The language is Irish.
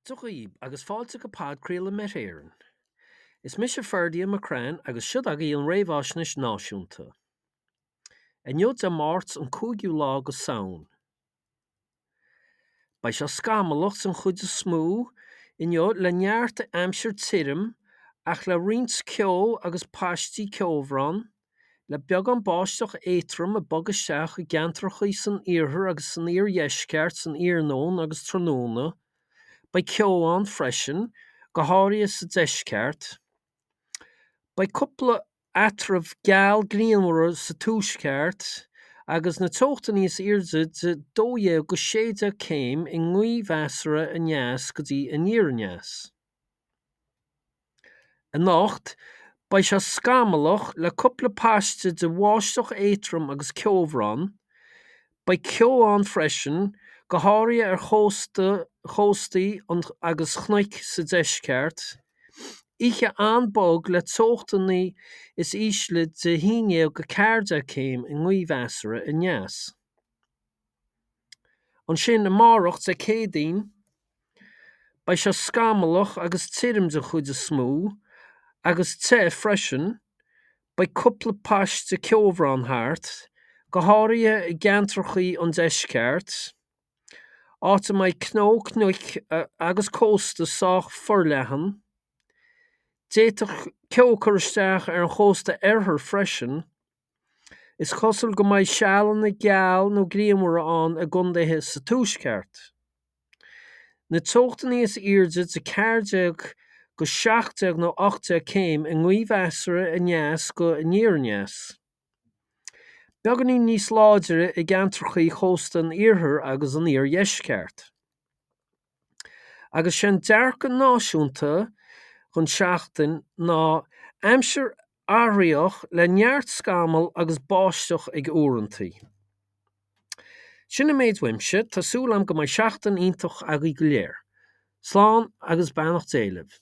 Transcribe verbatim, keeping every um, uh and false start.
Dia dhaoib agus fáilte go podchraoladh Met Éireann. Is mise Ferdia McCrann agus siod agaibh an réamhaisnéis náisiúnta. Inniu Dé Máirt an cúigiú lá go Samhain. Beidh sé scamallach den chuid is mó inniu le neart aimsir tirim ach le roinnt ceo agus paistí ceobhrán, le beagán báisteach éadrom ag bogadh isteach i gceantracha san iarthar agus san iardheisceart san iarnóin agus tráthnóna. Beidh ceo ann freisin, go háirithe sa deisceart. Beidh cúpla eatramh geal grianmhar sa tuaisceart agus na teochtaí níos airde de dó dhéag go sé déag céim i ngaoth mheasartha aneas go dtí aniar aneas. Anocht, beidh sé scamallach le cúpla paiste de bháisteach éadrom agus ceobhrán. Beidh ceo ann freisin, go háirithe ar chósta chóstaí agus chnoic sa deisceart. Oíche an-bhog le teochtanna is ísle de haon déag go ceathair déag céim i ngaoth mheasartha aneas. Ansin amárach Dé Céadaoin, beidh sé scamallach agus tirim den chuid is mó, agus te freisin. Beidh cúpla paiste ceobhrán thart, go háirithe i gceantracha an deisceart, áit a mbeidh cnó cnoic agus cósta sách forleathan. D'fhéadfadh ceo cur isteach ar an chósta oirthir freisin. Is cosúil go mbeidh sealanna geal nó grianmhara ann i gcontaetha sa tuaisceart. Na teochtaí is airde de ceathair déag go seacht déag nó ocht déag céim i ngaoth mheasartha aneas go aniar aneas. Beagáinín níos láidre i gceantracha chósta an iarthair agus an iardheisceart. Agus sé'n dearcadh náisiúnta don seachtain ná aimsir athraitheach le neart scamall agus báisteach ag uaireanta. Sin an méid uaimse, tá súil agam go mbeidh seachtain iontach agaibh go léir. Slán agus beannacht Dé libh.